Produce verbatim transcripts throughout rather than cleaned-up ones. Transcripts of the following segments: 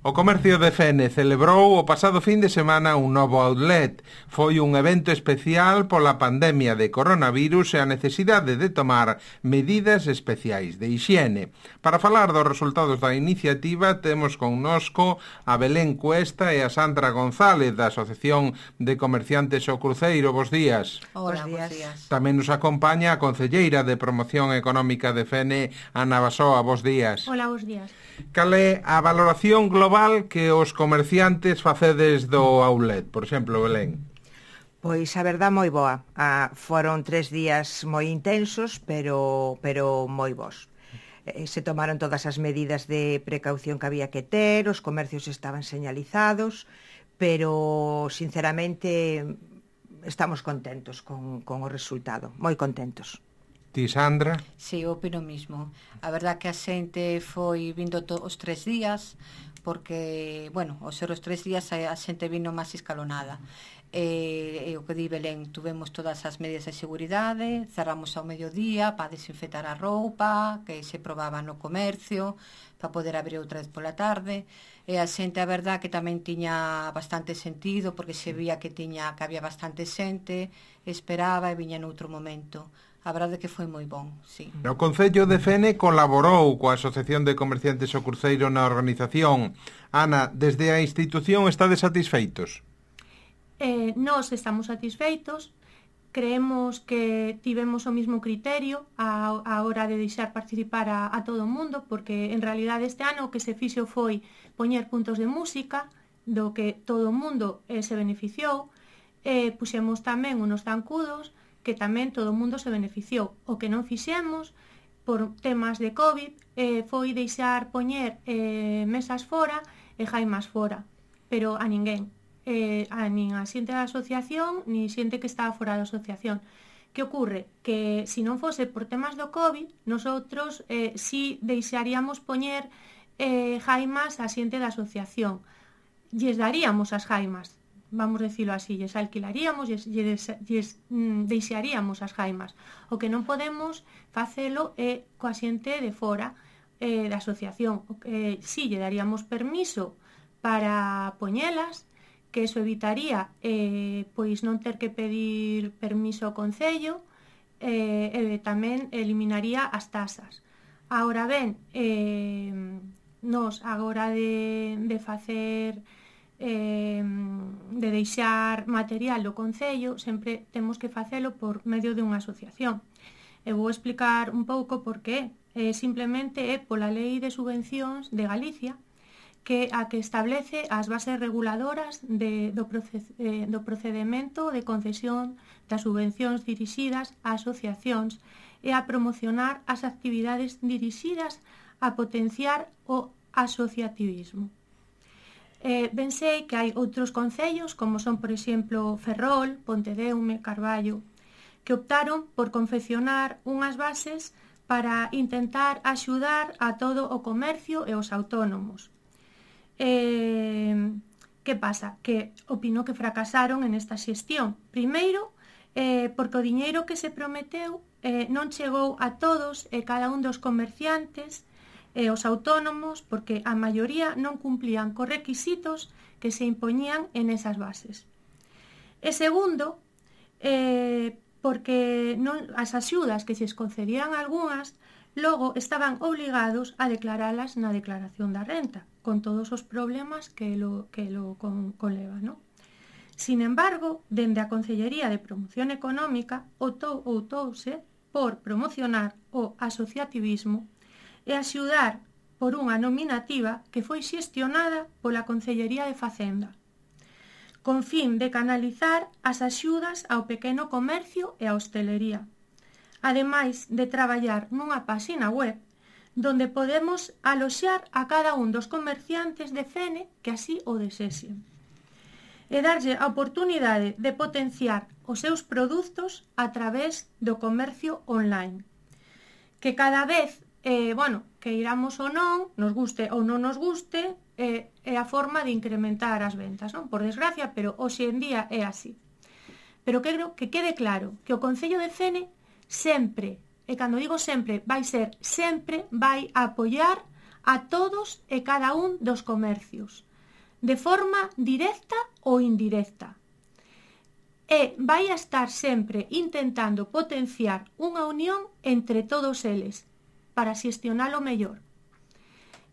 O comercio de Fene celebrou o pasado fin de semana un novo outlet. Foi un evento especial pola pandemia de coronavirus e a necesidade de tomar medidas especiais de hixiene. Para falar dos resultados da iniciativa temos connosco a Belén Cuesta e a Sandra González da Asociación de Comerciantes O Cruceiro. Bos días. Hola, bos días. Tamén nos acompaña a concelleira de Promoción Económica de Fene, Ana Basoa. Bos días. Hola, bos días. Cal é a valoración global que os comerciantes facedes do outlet, por exemplo, Belén? Pois a verdad moi boa. Ah, foron tres días moi intensos, pero pero moi bons. Eh, se tomaron todas as medidas de precaución que había que ter, os comercios estaban señalizados, pero sinceramente estamos contentos con, con o resultado, moi contentos. Ti, Sandra? Si, sí, opino mismo. A verdad que a xente foi vindo to, os tres días, porque, bueno, os ser os tres días a, a xente vino máis escalonada. E, e o que di Belén, tuvemos todas as medidas de seguridade, cerramos ao mediodía para desinfectar a roupa, que se probaba no comercio, para poder abrir outra vez pola tarde. E a xente, a verdad, que tamén tiña bastante sentido, porque se vía que tiña que había bastante xente, esperaba e viña noutro momento. A verdade que foi moi bon, sí. O Concello de Fene colaborou coa Asociación de Comerciantes O Cruceiro na organización. Ana, desde a institución estades satisfeitos? Eh, nós estamos satisfeitos. Creemos que tivemos o mismo criterio a, a hora de deixar participar a, a todo o mundo, porque en realidade este ano o que se fixo foi poñer puntos de música, do que todo o mundo eh, se beneficiou. Eh, puxemos tamén unos zancudos, que tamén todo o mundo se beneficiou. O que non fixemos por temas de COVID eh, foi deixar poñer eh, mesas fora e jaimas fora, pero a ninguén, eh, a nin a xente da asociación ni xente que estaba fora da asociación. Que ocorre? Que se non fose por temas do COVID, nosotros eh, si deixaríamos poñer eh, jaimas a xente da asociación, lles daríamos as jaimas, vamos decirlo así, lles alquilaríamos, lles, lles, lles mm, deixaríamos as jaimas. O que non podemos facelo é coa xente de fora eh, da asociación. O que, si lle daríamos permiso para poñelas, que eso evitaría eh, pois non ter que pedir permiso ao Concello, eh, e tamén eliminaría as tasas. Agora ben, eh, nos agora de, de facer Eh, de deixar material do Concello, sempre temos que facelo por medio de unha asociación. Eu vou explicar un pouco por qué. Eh, simplemente é pola Lei de Subvencións de Galicia, que a que establece as bases reguladoras de, do, proce, eh, do procedimento de concesión das subvencións dirixidas a asociacións e a promocionar as actividades dirixidas a potenciar o asociativismo. Eh, ben sei que hai outros concellos, como son, por exemplo, Ferrol, Pontedeume, Carballo, que optaron por confeccionar unhas bases para intentar axudar a todo o comercio e os autónomos. Eh, que pasa? Que opino que fracasaron en esta xestión. Primeiro, eh, porque o diñeiro que se prometeu eh, non chegou a todos e cada un dos comerciantes e os autónomos, porque a maioría non cumplían cos requisitos que se impoñían en esas bases. E segundo, eh, porque non, as axudas que se concedían algunhas, logo estaban obligados a declaralas na declaración da renta, con todos os problemas que lo, que lo con, conleva, non? Sin embargo, dende a Concellería de Promoción Económica optouse por promocionar o asociativismo e axudar por unha nominativa que foi xestionada pola Concellería de Facenda, con fin de canalizar as axudas ao pequeno comercio e á hostelería, ademais de traballar nunha páxina web donde podemos aloxar a cada un dos comerciantes de Fene que así o desexen, e darlle a oportunidade de potenciar os seus produtos a través do comercio online, que cada vez Eh, bueno, que iramos ou non, nos guste ou non nos guste, eh, é a forma de incrementar as ventas, non? Por desgracia, pero hoxe en día é así. Pero quero que quede claro que o Concello de Fene sempre, e cando digo sempre, vai ser sempre, vai apoiar a todos e cada un dos comercios, de forma directa ou indirecta. E vai a estar sempre intentando potenciar unha unión entre todos eles para xestionalo mellor.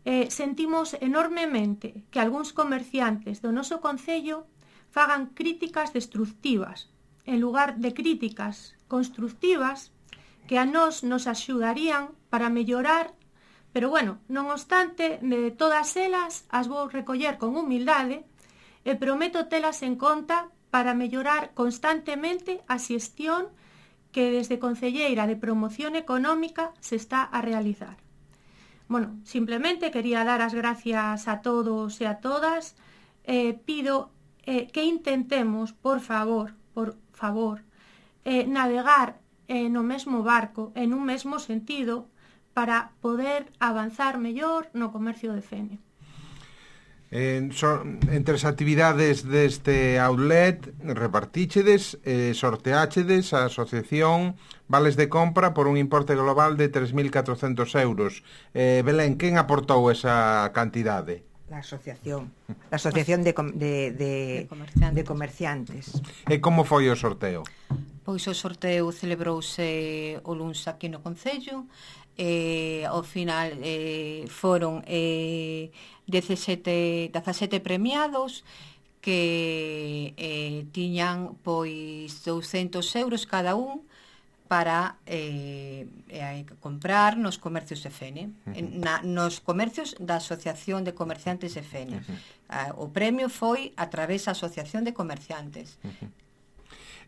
Eh, sentimos enormemente que algúns comerciantes do noso concello fagan críticas destructivas, en lugar de críticas constructivas que a nós nos axudarían para mellorar, pero bueno, non obstante, de todas elas as vou recoller con humildade e prometo telas en conta para mellorar constantemente a xestión que desde Concelleira de Promoción Económica se está a realizar. Bueno, simplemente quería dar as gracias a todos e a todas. Eh, pido eh, que intentemos, por favor, por favor, eh, navegar eh, no mesmo barco, en un mesmo sentido, para poder avanzar mellor no comercio de Fene. En, son, entre as actividades deste outlet repartíchedes e eh, sorteáchedes a asociación vales de compra por un importe global de tres mil catrocentos euros. eh, Belén, quen aportou esa cantidade? La asociación La asociación de, de, de, de, comerciantes. de comerciantes. E como foi o sorteo? Pois o sorteo celebrouse o luns aquí no Concello. Eh, ao final eh, foron eh, dezasete, dezasete premiados que eh, tiñan pois douscentos euros cada un para eh, eh, comprar nos comercios de Fene, uh-huh. na, nos comercios da Asociación de Comerciantes de Fene. Uh-huh. Ah, o premio foi a través da Asociación de Comerciantes. Uh-huh.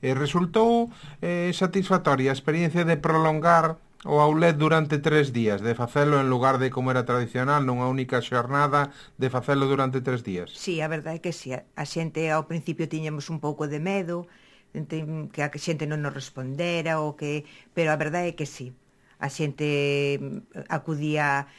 E resultou eh, satisfactoria a experiencia de prolongar o outlet durante tres días, de facelo en lugar de como era tradicional, nunha única xornada, de facelo durante tres días? Sí, a verdade é que sí. A xente ao principio tiñamos un pouco de medo, que a xente non nos respondera, ou que... pero a verdade é que sí. A xente acudía...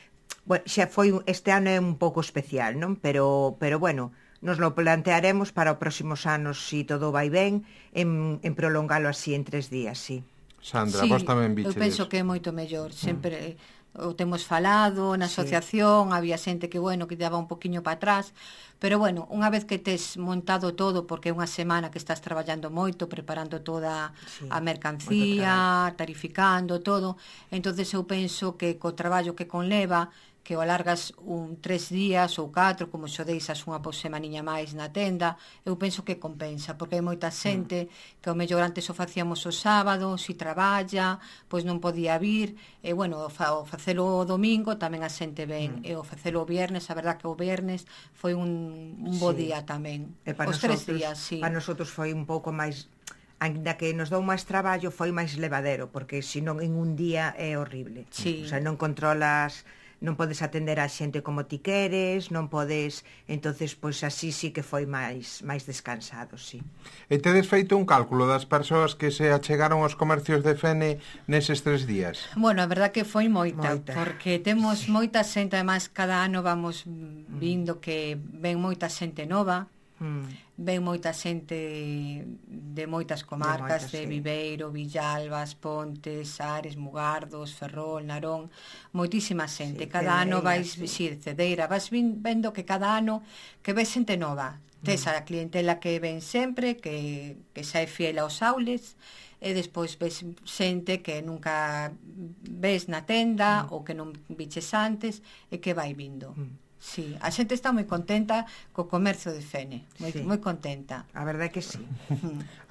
Bueno, xa foi, este ano é un pouco especial, non? Pero, pero bueno, nos lo plantearemos para os próximos anos, se si todo vai ben, en, en prolongalo así en tres días, sí. Sandra, sí, vos tamén bichedes. Eu penso que é moito mellor. Sempre mm. o temos falado na asociación, sí. Había xente que, bueno, que daba un poquinho para atrás, pero bueno, unha vez que tes montado todo, porque é unha semana que estás traballando moito, preparando toda sí, a mercancía, tarificando todo, entonces eu penso que co traballo que conleva, que o alargas un tres días ou catro, como xo deixas unha por semaniña máis na tenda, eu penso que compensa, porque hai moita xente mm. que ao mellor antes o facíamos o sábado, si traballa, pois non podía vir, e bueno, o, fa, o facelo o domingo tamén a xente ven, mm. e o facelo o viernes, a verdad que o viernes foi un, un bo sí. día tamén. Os tres días, sí. Para nosotros foi un pouco máis... Ainda que nos dou máis traballo, foi máis levadero, porque senón en un día é horrible. Sí. O sea, non controlas... non podes atender a xente como ti queres, non podes, entonces pois así sí que foi máis máis descansado, sí. E tedes feito un cálculo das persoas que se achegaron aos comercios de Fene neses tres días? Bueno, a verdad que foi moita, moita. porque temos sí. moita xente, además cada ano vamos vindo mm. que ven moita xente nova. Mm. Ven moita xente de moitas comarcas, de, moita, de sí. Viveiro, Villalbas, Pontes, Ares, Mugardos, Ferrol, Narón, moitísima xente. Sí, cada Cedeira, ano vais, sí. si, Cedeira, vas vendo que cada ano que ves xente nova. Mm. Tes a clientela que ven sempre, que, que xa é fiel aos aules, e despois ves xente que nunca ves na tenda, mm. ou que non biches antes, e que vai vindo. Mm. Sí, a xente está moi contenta co comercio de Fene, moi, sí. moi contenta. A verdade é que sí.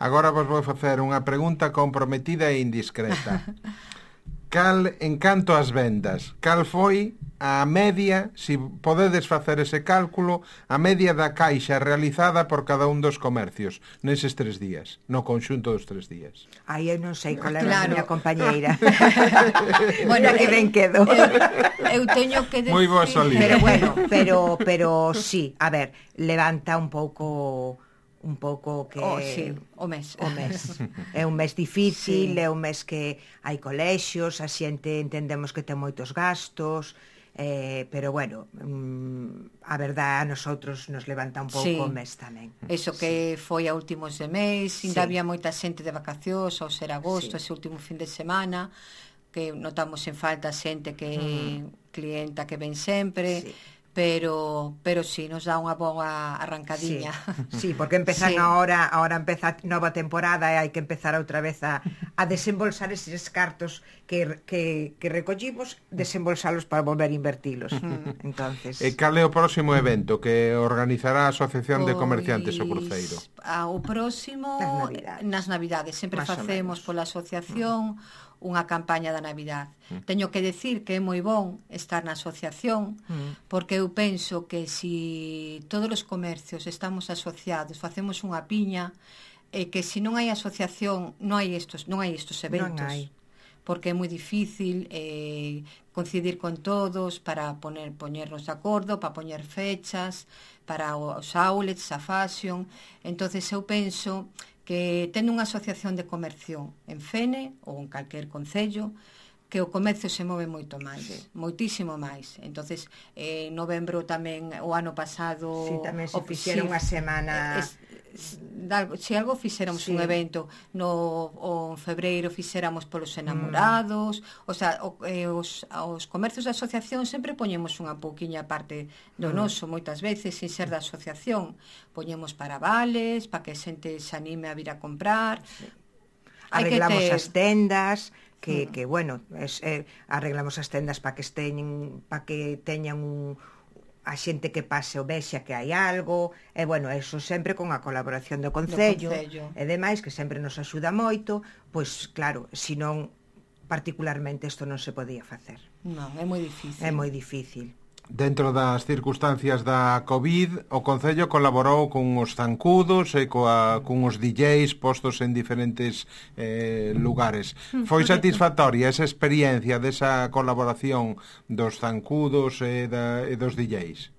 Agora vos vou facer unha pregunta comprometida e indiscreta. Cal, en canto ás vendas, cal foi a media, se si podedes facer ese cálculo, a media da caixa realizada por cada un dos comercios neses tres días, no conxunto dos tres días? Aí eu non sei qual é claro. a miña compañeira. Bueno, que ben quedo. Eu, eu teño que decir... Moi boa salida. Pero bueno, pero, pero sí, a ver, levanta un pouco... un pouco que... Oh, sí, o mes. O mes. É un mes difícil, sí. é un mes que hai colexios, a xente entendemos que ten moitos gastos, eh, pero bueno, mm, a verdade a nosotros nos levanta un pouco sí. o mes tamén. Eso que sí. foi a últimos de mes, ainda sí. había moita xente de vacacións, ao ser agosto, sí. ese último fin de semana, que notamos en falta xente que Mm. clienta que ven sempre, Sí. pero pero si sí, nos dá unha boa arrancadiña. Sí, sí, porque empezan Sí. ahora, ahora empeza nova temporada e hai que empezar outra vez a, a desembolsar eses cartos que, que, que recollimos, desembolsalos para volver a invertilos. Entonces, E cal é o próximo evento que organizará a Asociación de Comerciantes o Cruceiro? A, o próximo Nas Navidades. nas Navidades sempre Más o facemos menos. pola asociación mm. unha campaña da Navidad. Mm. Teño que decir que é moi bon estar na asociación mm. porque eu penso que si todos os comercios estamos asociados, facemos unha piña, e que se non hai asociación non hai estos non hai estos eventos. Non hai. Porque é moi difícil eh, coincidir con todos para poner poñernos de acordo, para poñer fechas, para os outlets, a fashion. Entonces eu penso que tendo unha asociación de comercio en Fene ou en calquer concello, que o comercio se move moito máis, eh, moitísimo máis. Entonces, eh, en novembro tamén, o ano pasado... Sí, tamén se o, fixeron sí, unha semana... Es, se algo fixéramos sí. un evento no o en febreiro fixéramos polos enamorados, mm. o sea, o, eh, os, os comercios da asociación sempre poñemos unha pouquiña parte do mm. noso, moitas veces sin ser da asociación, poñemos para vales, para que a xente se anime a vir a comprar. Sí. Arreglamos ter... as tendas, que, mm. que bueno, es, eh, arreglamos as tendas para que estén, para que teñan un a xente que pase o vexa que hai algo, e bueno, eso sempre con a colaboración do Concello, do Concello. E demais, que sempre nos axuda moito, pois claro, senón particularmente isto non se podía facer. Non, é moi difícil. É moi difícil. Dentro das circunstancias da COVID, o Concello colaborou con os zancudos e coa, con os D Js postos en diferentes eh, lugares. Foi satisfactoria esa experiencia desa colaboración dos zancudos e, da, e dos D Js?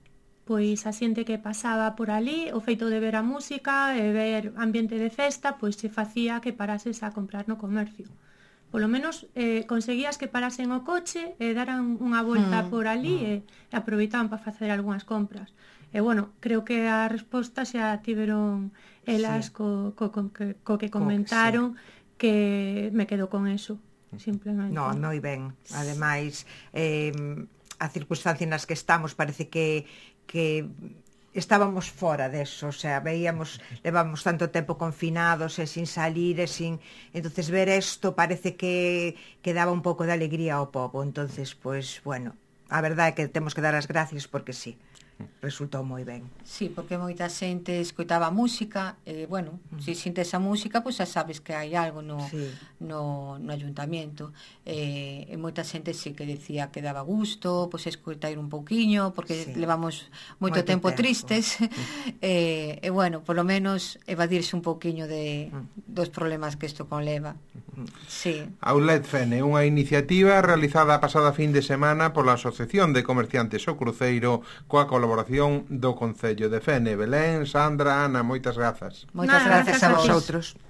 Pois a xente que pasaba por ali, o feito de ver a música e ver ambiente de festa, pois se facía que parases a comprar no comercio. Polo menos eh, conseguías que parasen o coche e daran unha volta mm, por ali mm. e, e aproveitaban para facer algunhas compras. E bueno, creo que a resposta xa tiveron elas sí. co, co, co, co que comentaron, sí. que me quedo con eso, simplemente. No, moi ben. Ademais, eh, a circunstancia nas que estamos parece que, que estábamos fora deso, o sea, veíamos, levamos tanto tempo confinados e sin salir e sin... Entonces ver isto parece que, que daba un pouco de alegría ao pobo. Entonces, pues, bueno, a verdade é que temos que dar as gracias porque sí, resultou moi ben. Sí, porque moita xente escoitaba música, e, bueno, uh -huh. se sintes a música, pois pues, xa sabes que hai algo no, sí. no, no ayuntamiento. E, e moita xente sí que decía que daba gusto, pois pues, escoitar un pouquiño, porque sí. levamos moito, moito tempo, tempo tristes. Uh -huh. e, e, bueno, polo menos evadirse un pouquiño de, uh -huh. dos problemas que isto conleva. Uh -huh. Sí. Outlet Fene, unha iniciativa realizada a pasada fin de semana pola Asociación de Comerciantes o Cruceiro coa colaboración do Concello de Fene. Belén, Sandra, Ana, moitas grazas. Moitas Nada, grazas grazas a a vosotros. Outros.